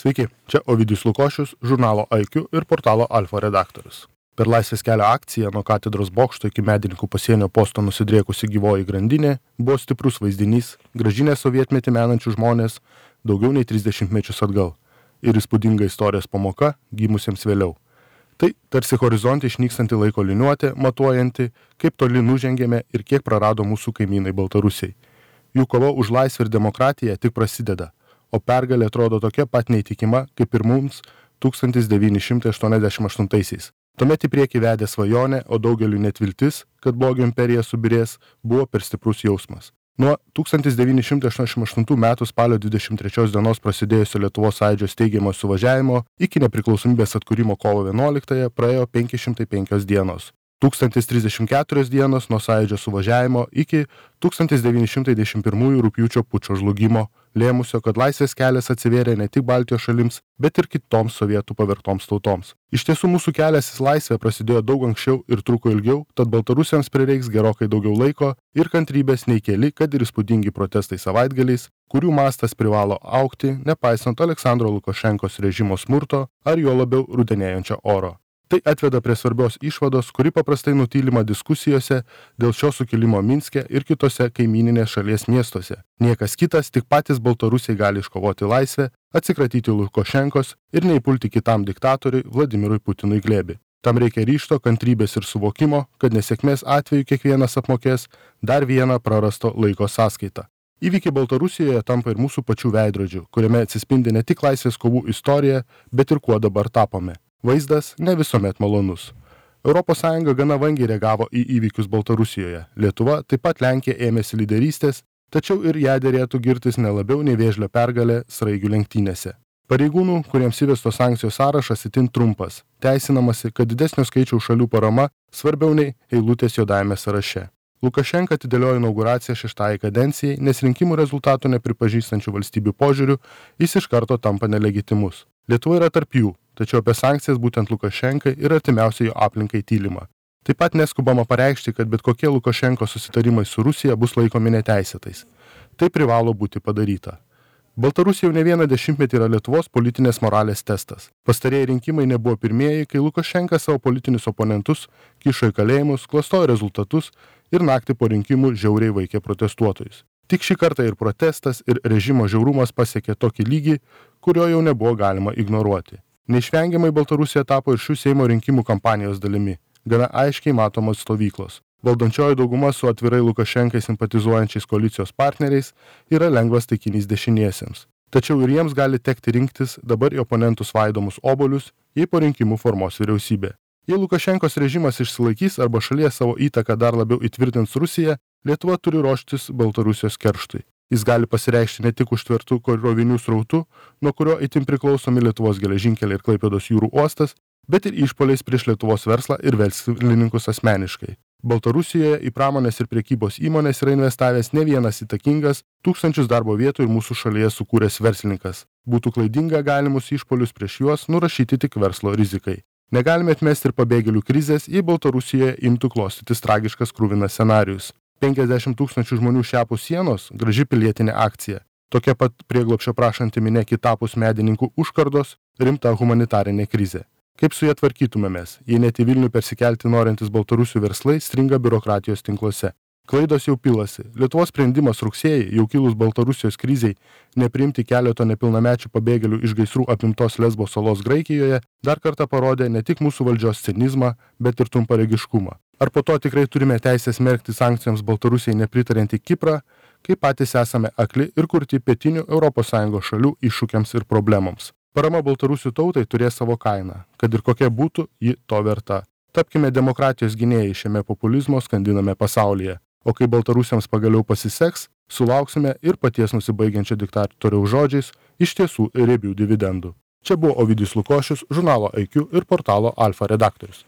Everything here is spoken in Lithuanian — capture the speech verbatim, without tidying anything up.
Sveiki, čia Ovidijus Lukošius, žurnalo I Q ir portalo Alfa redaktorius. Per Laisvės kelio akciją nuo katedros bokšto iki Medininkų pasienio posto nusidriekusi gyvoji grandinė buvo stiprus vaizdinys, grąžinę sovietmetį menančių žmonės daugiau nei trisdešimt mečius atgal ir įspūdinga istorijos pamoka gimusiems vėliau. Tai tarsi horizonte išnykstanti laiko liniuotė, matuojanti, kaip toli nužengėme ir kiek prarado mūsų kaimynai Baltarusiai. Jų kova už laisvę ir demokratiją tik prasideda, o pergalė atrodo tokia pat neįtikima kaip ir mums tūkstantis devyni šimtai aštuoniasdešimt aštuntaisiais. Tuomet į priekį vedė svajonė, o daugeliu net viltis, kad blogio imperija subirės, buvo per stiprus jausmas. Nuo tūkstantis devyni šimtai aštuoniasdešimt aštuntų metų spalio dvidešimt trečios dienos prasidėjusio Lietuvos Sąjūdžio steigiamo suvažiavimo iki nepriklausomybės atkūrimo kovo vienuoliktąją praėjo penki šimtai penkios dienos. tūkstantis trisdešimt keturios dienos nuo Sąjūdžio suvažiavimo iki tūkstantis devyni šimtai devyniasdešimt pirmųjų rugpjūčio pučo žlugimo, lėmusio, kad laisvės kelias atsivėrė ne tik Baltijos šalims, bet ir kitoms sovietų pavergtoms tautoms. Iš tiesų mūsų kelias į laisvę prasidėjo daug anksčiau ir truko ilgiau, tad baltarusiams prireiks gerokai daugiau laiko ir kantrybės nei keli, kad ir įspūdingi protestai savaitgaliais, kurių mastas privalo augti, nepaisant Aleksandro Lukašenkos režimo smurto ar juo labiau rudenėjančio oro. Tai atveda prie svarbios išvados, kuri paprastai nutylima diskusijose dėl šio sukilimo Minske ir kitose kaimyninės šalies miestuose. Niekas kitas, tik patys baltarusiai gali iškovoti laisvę, atsikratyti Lukašenkos ir neįpulti kitam diktatoriui Vladimirui Putinui glėbį. Tam reikia ryžto, kantrybės ir suvokimo, kad nesėkmės atveju kiekvienas apmokės dar vieną prarasto laiko sąskaitą. Įvykiai Baltarusijoje tampa ir mūsų pačių veidrodžių, kuriame atsispindi ne tik laisvės kovų istorija, bet ir kuo dabar tapome. Vaizdas ne visuomet malonus. Europos Sąjunga gana vangiai reagavo į įvykius Baltarusijoje. Lietuva, taip pat Lenkija ėmėsi lyderystės, tačiau ir ją derėtų girtis ne labiau nei Vėžlio pergalė sraigių lenktynėse. Pareigūnų, kuriems įvestos sankcijos sąrašas itin trumpas, teisinamasi, kad didesnio skaičiaus šalių parama svarbiau nei eilutės juodajame sąraše. Lukašenka atidėliojo inauguraciją šeštajai kadencijai, nes rinkimų rezultatų nepripažįstančių valstybių požiūrių jis iš karto tampa nelegitimus. Lietuva yra tarp jų, tačiau apie sankcijas būtent Lukašenkai ir artimiausiai jo aplinkai tylima. Taip pat neskubama pareikšti, kad bet kokie Lukašenko susitarimai su Rusija bus laikomi neteisėtais. Tai privalo būti padaryta. Baltarusija jau ne vieną dešimtmetį yra Lietuvos politinės moralės testas. Pastarieji rinkimai nebuvo pirmieji, kai Lukašenka savo politinius oponentus kišo į kalėjimus, klastojo rezultatus ir naktį po rinkimų žiauriai vaikė protestuotojus. Tik šį kartą ir protestas, ir režimo žiaurumas pasiekė tokį lygį, kurio jau nebuvo galima ignoruoti. Neišvengiamai Baltarusija tapo ir šių Seimo rinkimų kampanijos dalimi, gana aiškiai matomos stovyklos. Valdančioji dauguma su atvirai Lukašenkai simpatizuojančiais koalicijos partneriais yra lengvas taikinys dešiniesiems. Tačiau ir jiems gali tekti rinktis dabar į oponentų svaidomus obuolius, jei po rinkimų formuos vyriausybė. Jei Lukašenkos režimas išsilaikys arba šalyje savo įtaką dar labiau įtvirtins Rusiją, Lietuva turi ruoštis Baltarusijos kerštui. Jis gali pasireikšti ne tik užtvertų krovinių srautų, nuo kurio itin priklausomi Lietuvos geležinkeliai ir Klaipėdos jūrų uostas, bet ir išpoliais prieš Lietuvos verslą ir verslininkus asmeniškai. Baltarusijoje į pramonės ir prekybos įmonės yra investavęs ne vienas įtakingas, tūkstančius darbo vietų ir mūsų šalyje sukūręs verslininkas. Būtų klaidinga galimus išpolius prieš juos nurašyti tik verslo rizikai. Negalime atmesti ir pabėgėlių krizės, jei Baltarusijoje imtų klostytis tragiškas kruvinas scenarijus. penkiasdešimt tūkstančių žmonių šiapus sienos – graži pilietinė akcija. Tokia pat prieglobsčio prašanti minia kitapus Medininkų užkardos – rimta humanitarinė krizė. Kaip su ja tvarkytumėmės, jei net į Vilnių persikelti norintis Baltarusių verslai stringa biurokratijos tinkluose? Klaidos jau pilasi. Lietuvos sprendimas rugsėjį, jau kilus Baltarusijos krizei, nepriimti keleto nepilnamečių pabėgėlių iš gaisrų apimtos Lesbo salos Graikijoje, dar kartą parodė ne tik mūsų valdžios cinizmą, bet ir trumparegiškumą. Ar po to tikrai turime teisę smerkti sankcijoms Baltarusijai nepritariantį Kiprą, kai patys esame akli ir kurti pietinių Europos Sąjungos šalių iššūkiams ir problemoms? Parama Baltarusių tautai turės savo kainą, kad ir kokia būtų, ji to verta. Tapkime demokratijos gynėjai šiame populizmo skandiname pasaulyje. O kai Baltarusiams pagaliau pasiseks, sulauksime ir paties nusibaigiančio diktatoriaus žodžiais iš tiesų riebių dividendų. Čia buvo Ovidijus Lukošius, žurnalo I Q ir portalo Alfa redaktorius.